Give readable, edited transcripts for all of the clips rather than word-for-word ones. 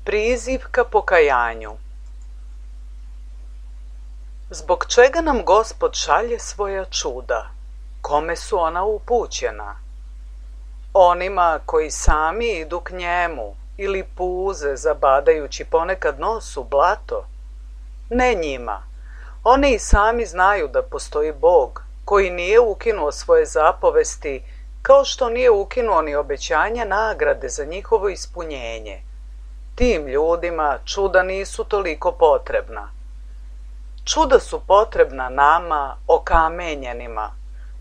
Priziv ka pokajanju. Zbog čega nam Gospod šalje svoja čuda? Kome su ona upućena? Onima koji sami idu k njemu ili puze zabadajući ponekad nos u blato? Ne njima. Oni i sami znaju da postoji Bog koji nije ukinuo svoje zapovesti, kao što nije ukinuo ni obećanja nagrade za njihovo ispunjenje. Tim ljudima čuda nisu toliko potrebna. Čuda su potrebna nama, okamenjenima,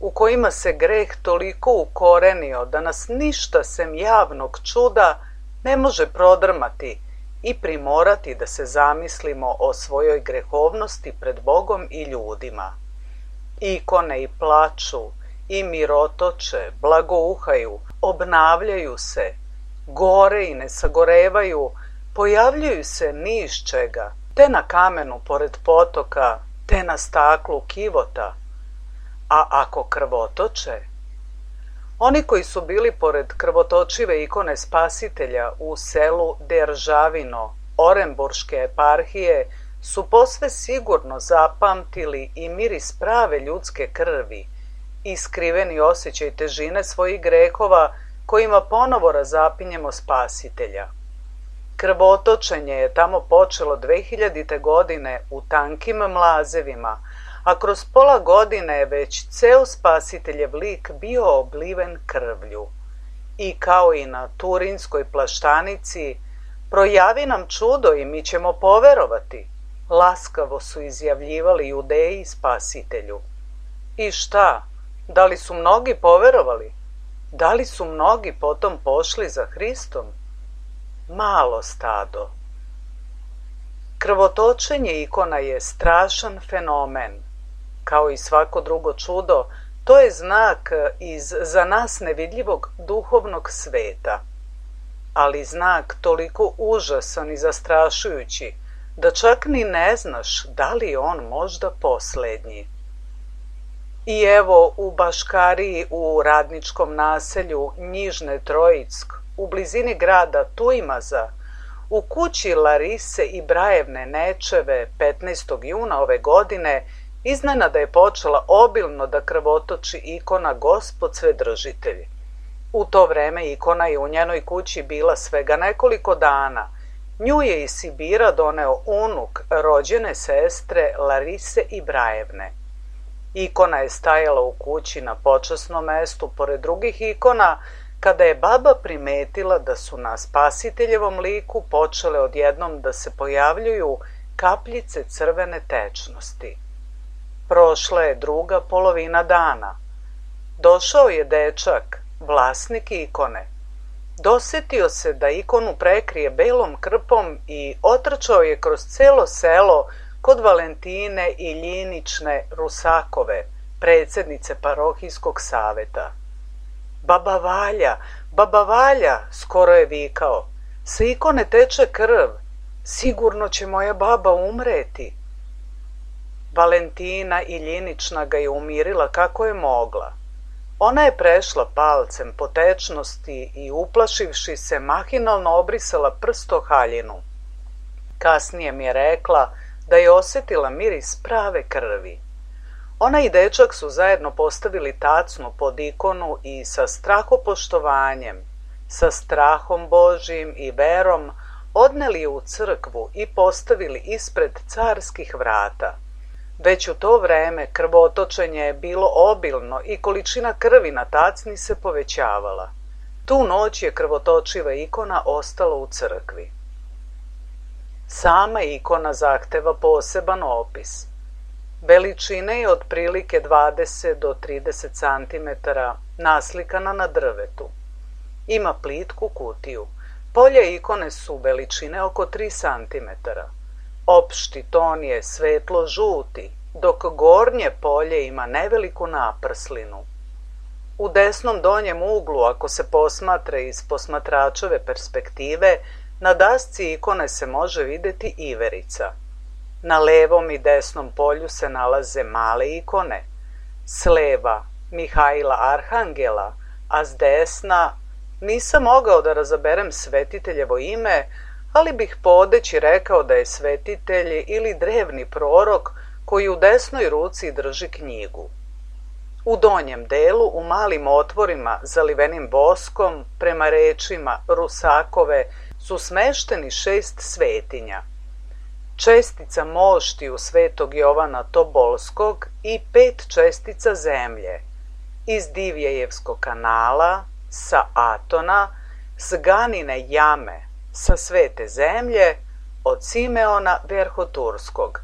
u kojima se greh toliko ukorenio da nas ništa sem javnog čuda ne može prodrmati i primorati da se zamislimo o svojoj grehovnosti pred Bogom i ljudima. Ikone i plaču, i mirotoče, blagouhaju, obnavljaju se, gore i ne sagorevaju, pojavljuju se ni iz čega, te na kamenu pored potoka, te na staklu kivota. A ako krvotoče? Oni koji su bili pored krvotočive ikone Spasitelja u selu Deržavino, Oremburške eparhije, su posve sigurno zapamtili i miris prave ljudske krvi i skriveni osjećaj težine svojih grehova kojima ponovo razapinjemo Spasitelja. Krvotočenje je tamo počelo 2000. godine u tankim mlazevima, a kroz pola godine je već ceo Spasiteljev lik bio obliven krvlju. I kao i na Turinskoj plaštanici, projavi nam čudo i mi ćemo poverovati, laskavo su izjavljivali Judeji Spasitelju. I šta? Da li su mnogi poverovali? Da li su mnogi potom pošli za Hristom? Malo stado. Krvotočenje ikona je strašan fenomen. Kao i svako drugo čudo, to je znak iz za nas nevidljivog duhovnog sveta. Ali znak toliko užasan i zastrašujući, da čak ni ne znaš da li je on možda poslednji. I evo u Baškariji u radničkom naselju Njižne Trojick, u blizini grada Tujmaza, u kući Larise i Brajevne Nečeve 15. juna ove godine, iznenada je počela obilno da krvotoči ikona Gospod Svedržitelj. U to vreme ikona je u njenoj kući bila svega nekoliko dana. Nju je iz Sibira doneo unuk rođene sestre Larise i Brajevne. Ikona je stajala u kući na počasnom mestu pored drugih ikona, kada je baba primetila da su na Spasiteljevom liku počele odjednom da se pojavljuju kapljice crvene tečnosti. Prošla je druga polovina dana. Došao je dečak, vlasnik ikone. Dosetio se da ikonu prekrije belom krpom i otrčao je kroz celo selo kod Valentine Iljinične Rusakove, predsjednice parohijskog saveta. Baba Valja, skoro je vikao, sa ikone teče krv, sigurno će moja baba umreti. Valentina Iljinična ga je umirila kako je mogla. Ona je prešla palcem po tečnosti i uplašivši se mahinalno obrisala prst o haljinu. Kasnije mi je rekla da je osjetila miris prave krvi. Ona i dečak su zajedno postavili tacnu pod ikonu i sa strahopoštovanjem, sa strahom Božijim i verom odneli je u crkvu i postavili ispred carskih vrata. Već u to vreme krvotočenje je bilo obilno i količina krvi na tacni se povećavala. Tu noć je krvotočiva ikona ostala u crkvi. Sama ikona zahteva poseban opis. Veličine je otprilike 20 do 30 cm, naslikana na drvetu. Ima plitku kutiju. Polje ikone su veličine oko 3 cm. Opšti ton je svetlo žuti, dok gornje polje ima neveliku naprslinu. U desnom donjem uglu, ako se posmatra iz posmatračove perspektive, na dasci ikone se može vidjeti iverica. Na levom i desnom polju se nalaze male ikone. S leva Mihajla Arhangela, a s desna nisam mogao da razaberem svetiteljevo ime, ali bih podeći rekao da je svetitelj ili drevni prorok koji u desnoj ruci drži knjigu. U donjem delu, u malim otvorima zalivenim voskom, prema rečima Rusakove, su smešteni 6 svetinja. Čestica moštiju svetog Jovana Tobolskog i 5 čestica zemlje, iz Divjejevskog kanala, sa Atona, s Ganine jame, sa Svete zemlje, od Simeona Verhoturskog.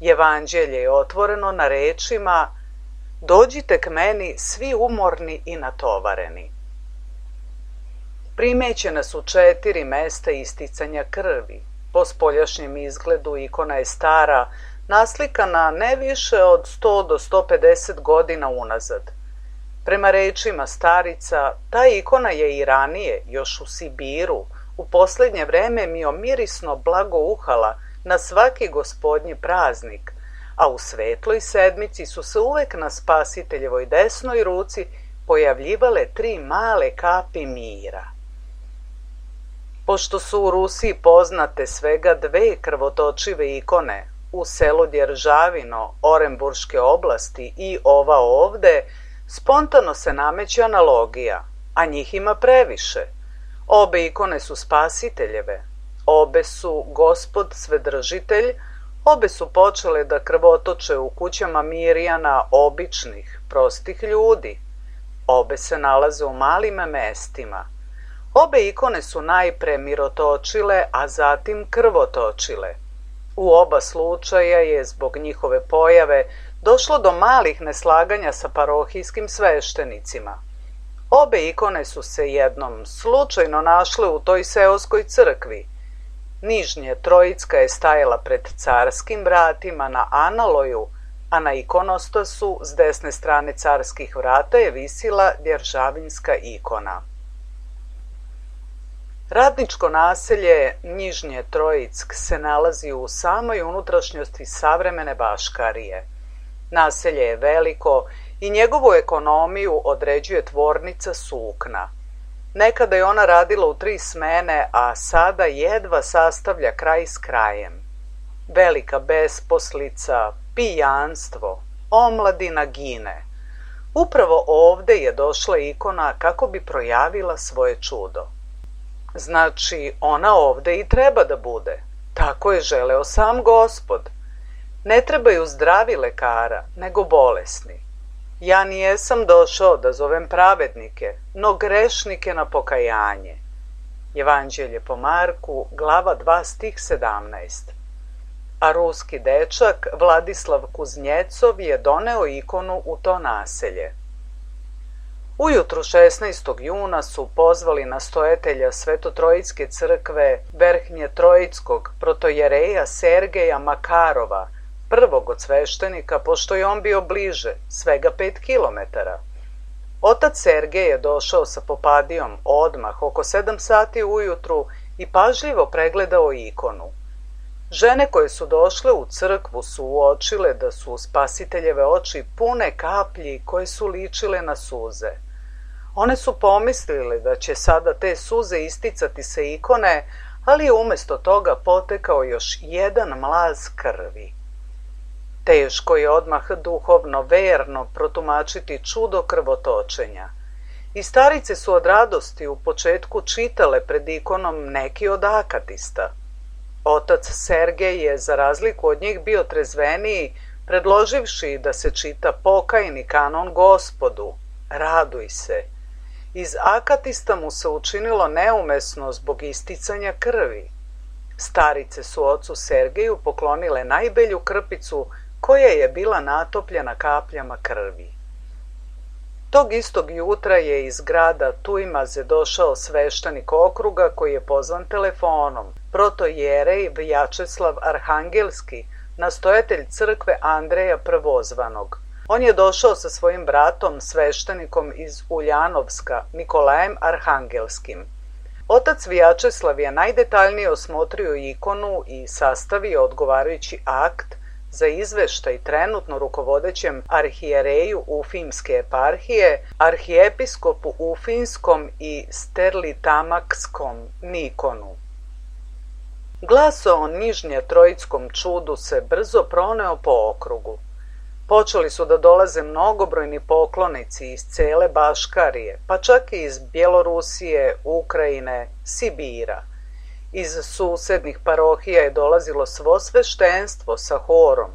Evanđelje je otvoreno na rečima: dođite k meni svi umorni i natovareni. Primećena su 4 mesta isticanja krvi. Po spoljašnjem izgledu ikona je stara, naslikana ne više od 100 do 150 godina unazad. Prema rečima starica, ta ikona je i ranije, još u Sibiru, u posljednje vreme mirisno blagouhala na svaki gospodnji praznik, a u svetloj sedmici su se uvek na Spasiteljevoj desnoj ruci pojavljivale 3 male kapi mira. Pošto su u Rusiji poznate svega 2 krvotočive ikone, u selu Djeržavino, Oremburške oblasti i ova ovde, spontano se nameće analogija, a njih ima previše. Obe ikone su Spasiteljeve, obe su Gospod Svedržitelj, obe su počele da krvotoče u kućama Mirjana običnih, prostih ljudi. Obe se nalaze u malim mestima. Obe ikone su najpre mirotočile, a zatim krvotočile. U oba slučaja je zbog njihove pojave došlo do malih neslaganja sa parohijskim sveštenicima. Obe ikone su se jednom slučajno našle u toj seoskoj crkvi. Nižnje Trojicka je stajala pred carskim vratima na analoju, a na ikonostasu s desne strane carskih vrata je visila Djeržavinska ikona. Radničko naselje Nižnje Trojick se nalazi u samoj unutrašnjosti savremene Baškarije. Naselje je veliko i njegovu ekonomiju određuje tvornica sukna. Nekada je ona radila u 3 smene, a sada jedva sastavlja kraj s krajem. Velika besposlica, pijanstvo, omladina gine. Upravo ovde je došla ikona kako bi projavila svoje čudo. Znači, ona ovde i treba da bude. Tako je želeo sam Gospod. Ne trebaju zdravi lekara, nego bolesni. Ja nijesam došao da zovem pravednike, no grešnike na pokajanje. Evanđelje po Marku, glava 2, stih 17. A ruski dečak Vladislav Kuznjecov je doneo ikonu u to naselje. Ujutru 16. juna su pozvali nastojatelja Svetotrojicke crkve Verhnje Trojickog protojereja Sergeja Makarova, prvog od sveštenika, pošto je on bio bliže, svega 5 kilometara. Otac Sergej je došao sa popadijom odmah oko 7 sati ujutru i pažljivo pregledao ikonu. Žene koje su došle u crkvu su uočile da su Spasiteljeve oči pune kaplji koje su ličile na suze. One su pomislile da će sada te suze isticati sa ikone, ali je umjesto toga potekao još jedan mlaz krvi. Teško je odmah duhovno, verno protumačiti čudo krvotočenja. I starice su od radosti u početku čitale pred ikonom neki od akatista. Otac Sergej je, za razliku od njih, bio trezveniji, predloživši da se čita pokajni kanon Gospodu, raduj se. Iz akatista mu se učinilo neumesno zbog isticanja krvi. Starice su ocu Sergeju poklonile najbelju krpicu koja je bila natopljena kapljama krvi. Tog istog jutra je iz grada Tujmaze došao sveštenik okruga koji je pozvan telefonom, protojerej Vjačeslav Arhangelski, nastojatelj crkve Andreja Prvozvanog. On je došao sa svojim bratom, sveštenikom iz Uljanovska, Nikolajem Arhangelskim. Otac Vjačeslav je najdetaljnije osmotrio ikonu i sastavio odgovarajući akt za izveštaj trenutno rukovodećem arhijereju Ufimske eparhije, arhijepiskopu Ufinskom i Sterlitamakskom Nikonu. Glas o Nižnje Trojickom čudu se brzo proneo po okrugu. Počeli su da dolaze mnogobrojni poklonici iz cele Baškarije, pa čak i iz Bjelorusije, Ukrajine, Sibira. Iz susednih parohija je dolazilo svo sveštenstvo sa horom.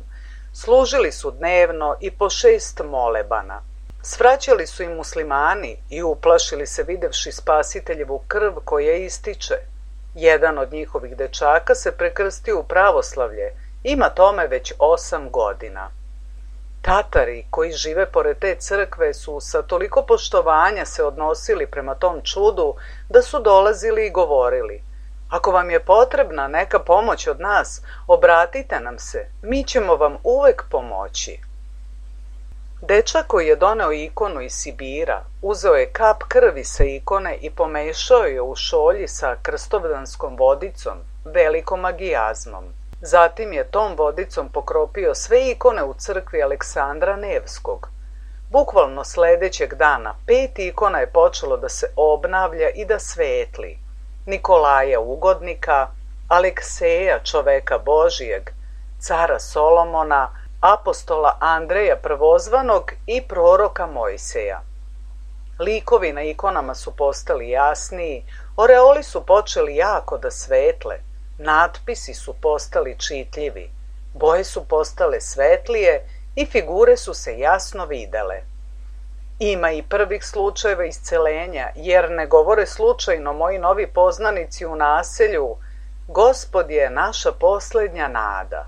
Služili su dnevno i po 6 molebana. Svraćali su i muslimani i uplašili se videvši Spasiteljevu krv koja ističe. Jedan od njihovih dečaka se prekrstio u pravoslavlje, ima tome već 8 godina. Tatari koji žive pored te crkve su sa toliko poštovanja se odnosili prema tom čudu da su dolazili i govorili: ako vam je potrebna neka pomoć od nas, obratite nam se, mi ćemo vam uvek pomoći. Dečak koji je doneo ikonu iz Sibira, uzeo je kap krvi sa ikone i pomešao je u šolji sa krstovdanskom vodicom, velikom magijazmom. Zatim je tom vodicom pokropio sve ikone u crkvi Aleksandra Nevskog. Bukvalno sledećeg dana 5 ikona je počelo da se obnavlja i da svetli. Nikolaja Ugodnika, Alekseja čoveka Božijeg, cara Solomona, apostola Andreja Prvozvanog i proroka Mojseja. Likovi na ikonama su postali jasniji, oreoli su počeli jako da svetle, natpisi su postali čitljivi, boje su postale svetlije i figure su se jasno videle. Ima i prvih slučajeva iscelenja, jer ne govore slučajno moji novi poznanici u naselju: Gospod je naša poslednja nada.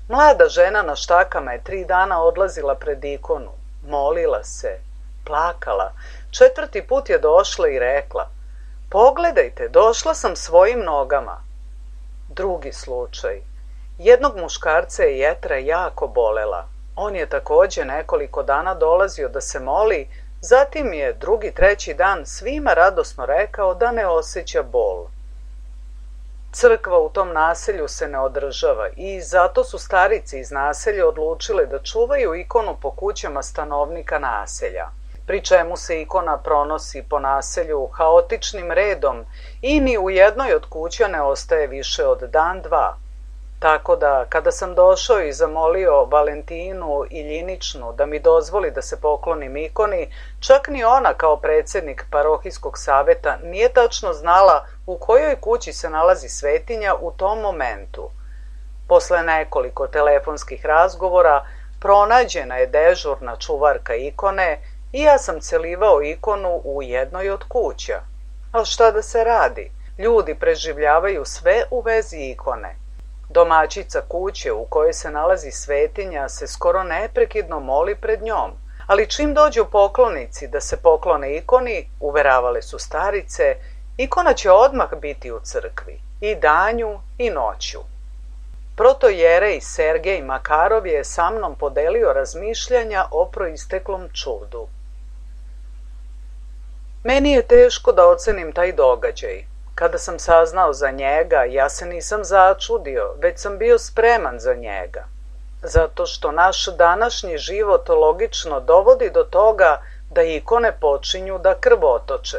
Mlada žena na štakama je 3 dana odlazila pred ikonu, molila se, plakala. 4. put je došla i rekla: pogledajte, došla sam svojim nogama. Drugi slučaj. Jednog muškarca je jetra jako bolela. On je takođe nekoliko dana dolazio da se moli, zatim je 2. 3. dan svima radosno rekao da ne osjeća bol. Crkva u tom naselju se ne održava i zato su starice iz naselja odlučile da čuvaju ikonu po kućama stanovnika naselja, pri čemu se ikona pronosi po naselju haotičnim redom i ni u jednoj od kuća ne ostaje više od dan, 2. Tako da, kada sam došao i zamolio Valentinu Iljiničnu da mi dozvoli da se poklonim ikoni, čak ni ona kao predsjednik parohijskog saveta nije tačno znala u kojoj kući se nalazi svetinja u tom momentu. Posle nekoliko telefonskih razgovora pronađena je dežurna čuvarka ikone i ja sam celivao ikonu u jednoj od kuća. Ali šta da se radi? Ljudi preživljavaju sve u vezi ikone. Domaćica kuće u kojoj se nalazi svetinja se skoro neprekidno moli pred njom, ali čim dođu poklonici da se poklone ikoni, uveravale su starice, ikona će odmah biti u crkvi, i danju i noću. Protojerej Sergej Makarov je sa mnom podelio razmišljanja o proisteklom čudu. Meni je teško da ocenim taj događaj. Kada sam saznao za njega, ja se nisam začudio, već sam bio spreman za njega. Zato što naš današnji život logično dovodi do toga da ikone počinju da krvotoče.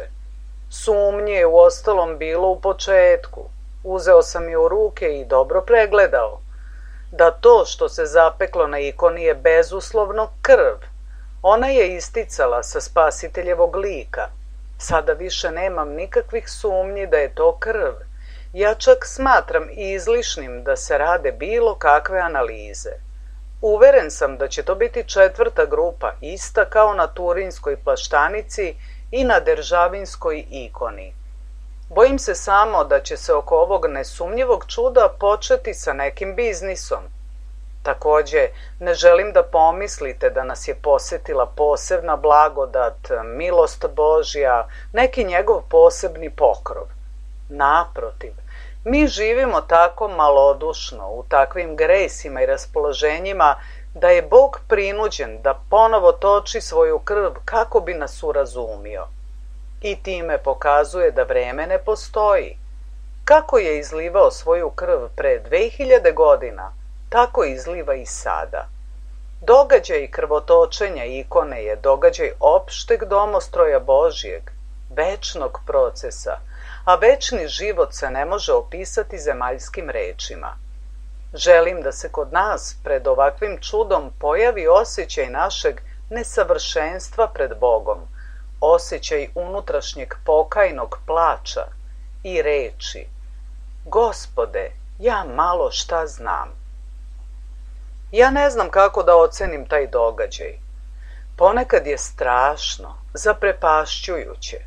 Sumnje je uostalom bilo u početku. Uzeo sam je u ruke i dobro pregledao. Da to što se zapeklo na ikoni je bezuslovno krv. Ona je isticala sa Spasiteljevog lika. Sada više nemam nikakvih sumnji da je to krv. Ja čak smatram izlišnim da se rade bilo kakve analize. Uveren sam da će to biti 4. grupa, ista kao na Turinskoj plaštanici i na Deržavinskoj ikoni. Bojim se samo da će se oko ovog nesumnjivog čuda početi sa nekim biznisom. Takođe, ne želim da pomislite da nas je posetila posebna blagodat, milost Božja, neki njegov posebni pokrov. Naprotiv, mi živimo tako malodušno, u takvim grejsima i raspoloženjima, da je Bog prinuđen da ponovo toči svoju krv kako bi nas urazumio. I time pokazuje da vreme ne postoji. Kako je izlivao svoju krv pre 2000 godina, tako izliva i sada. Događaj krvotočenja ikone je događaj opšteg domostroja Božijeg, večnog procesa, a večni život se ne može opisati zemaljskim rečima. Želim da se kod nas pred ovakvim čudom pojavi osjećaj našeg nesavršenstva pred Bogom, osjećaj unutrašnjeg pokajnog plača i reči: Gospode, ja malo šta znam. Ja ne znam kako da ocenim taj događaj. Ponekad je strašno, zaprepašćujuće.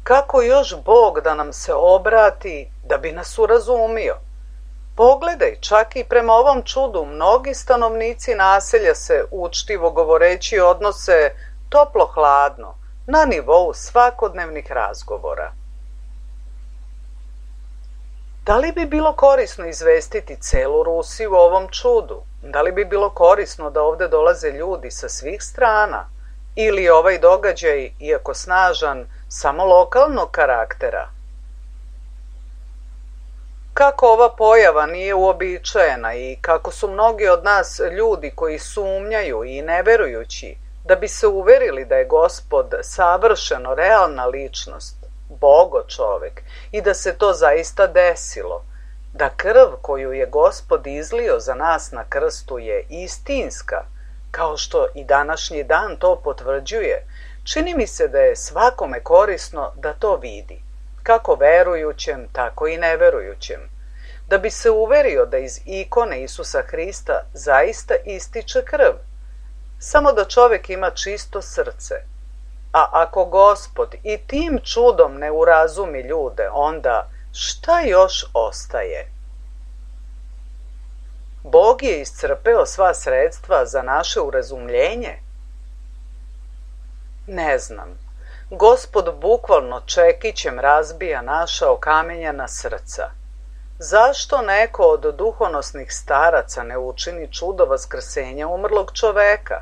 Kako još Bog da nam se obrati da bi nas urazumio? Pogledaj, čak i prema ovom čudu mnogi stanovnici naselja se, učtivo govoreći, odnose toplo-hladno, na nivou svakodnevnih razgovora. Da li bi bilo korisno izvestiti celu Rusiju o ovom čudu? Da li bi bilo korisno da ovde dolaze ljudi sa svih strana? Ili je ovaj događaj, iako snažan, samo lokalnog karaktera? Kako ova pojava nije uobičajena i kako su mnogi od nas ljudi koji sumnjaju i neverujući, da bi se uverili da je Gospod savršeno realna ličnost, Bogo čovek, i da se to zaista desilo, da krv koju je Gospod izlio za nas na krstu je istinska, kao što i današnji dan to potvrđuje, čini mi se da je svakome korisno da to vidi, kako verujućem, tako i neverujućem, da bi se uverio da iz ikone Isusa Hrista zaista ističe krv, samo da čovek ima čisto srce. A ako Gospod i tim čudom ne urazumi ljude, onda šta još ostaje? Bog je iscrpeo sva sredstva za naše urazumljenje? Ne znam. Gospod bukvalno čekićem razbija naša okamenjena srca. Zašto neko od duhonosnih staraca ne učini čudo vaskrsenja umrlog čoveka?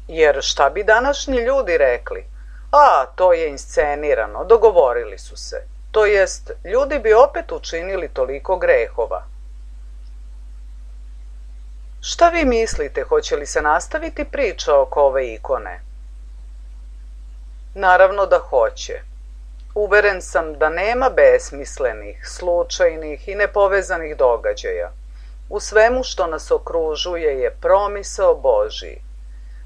Jer šta bi današnji ljudi rekli? A, to je inscenirano, dogovorili su se. To jest, ljudi bi opet učinili toliko grehova. Šta vi mislite, hoće li se nastaviti priča oko ove ikone? Naravno da hoće. Uveren sam da nema besmislenih, slučajnih i nepovezanih događaja. U svemu što nas okružuje je promisao Božji.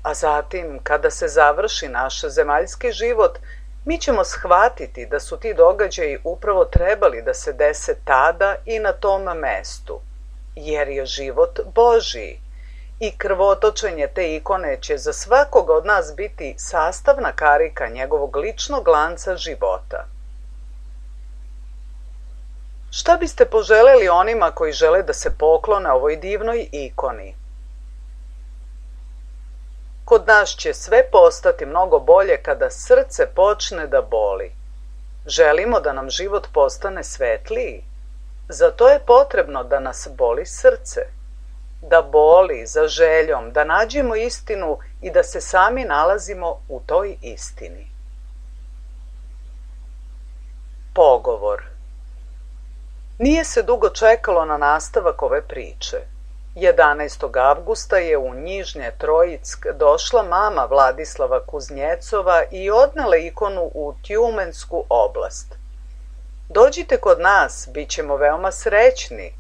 A zatim, kada se završi naš zemaljski život, mi ćemo shvatiti da su ti događaji upravo trebali da se dese tada i na tom mestu, jer je život Božji i krvotočenje te ikone će za svakoga od nas biti sastavna karika njegovog ličnog lanca života. Šta biste poželeli onima koji žele da se poklone ovoj divnoj ikoni? Kod nas će sve postati mnogo bolje kada srce počne da boli. Želimo da nam život postane svetliji. Za to je potrebno da nas boli srce. Da boli za željom, da nađemo istinu i da se sami nalazimo u toj istini. Pogovor. Nije se dugo čekalo na nastavak ove priče. 11. avgusta je u Njižnje Trojick došla mama Vladislava Kuznjecova i odnela ikonu u Tjumensku oblast. Dođite kod nas, bit ćemo veoma srećni,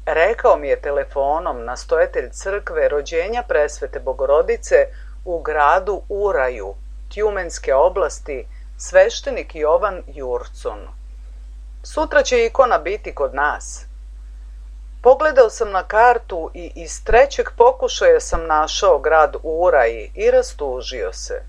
rekao mi je telefonom nastojatelj crkve rođenja Presvete Bogorodice u gradu Uraju, Tjumenske oblasti, sveštenik Jovan Jurcun. Sutra će ikona biti kod nas. Pogledao sam na kartu i iz trećeg pokušaja sam našao grad Uraj i rastužio se.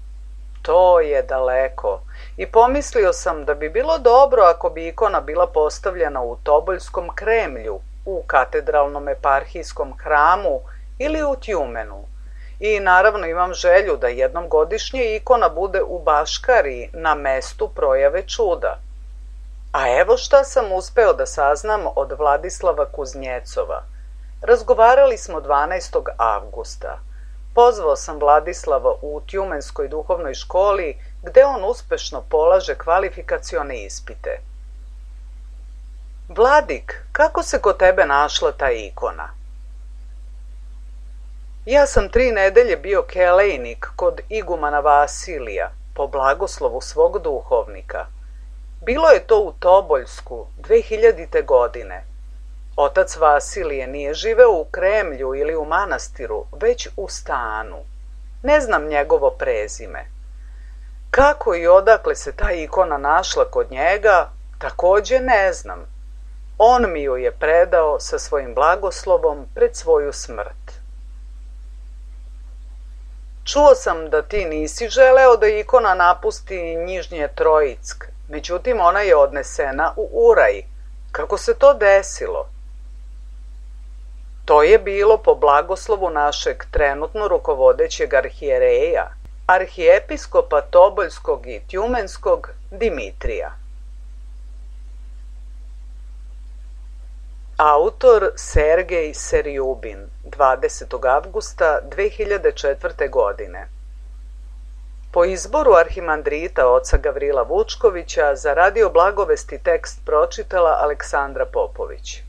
To je daleko i pomislio sam da bi bilo dobro ako bi ikona bila postavljena u Toboljskom Kremlju, u katedralnom eparhijskom hramu ili u Tjumenu. I naravno imam želju da jednom godišnje ikona bude u Baškariji na mestu projave čuda. A evo šta sam uspeo da saznam od Vladislava Kuznjecova. Razgovarali smo 12. avgusta. Pozvao sam Vladislava u Tjumenskoj duhovnoj školi, gde on uspešno polaže kvalifikacione ispite. Vladik, kako se kod tebe našla ta ikona? Ja sam 3 nedelje bio kelejnik kod igumana Vasilija, po blagoslovu svog duhovnika. Bilo je to u Toboljsku 2000. godine. Otac Vasilije nije živeo u Kremlju ili u manastiru, već u stanu. Ne znam njegovo prezime. Kako i odakle se ta ikona našla kod njega, takođe ne znam. On mi ju je predao sa svojim blagoslovom pred svoju smrt. Čuo sam da ti nisi želeo da ikona napusti Njižnje Trojick, međutim ona je odnesena u Uraj. Kako se to desilo? To je bilo po blagoslovu našeg trenutno rukovodećeg arhijereja, arhijepiskopa Toboljskog i Tjumenskog Dimitrija. Autor Sergej Serjubin, 20. avgusta 2004. godine. Po izboru arhimandrita oca Gavrila Vučkovića za Radio Blagovesti tekst pročitala Aleksandra Popović.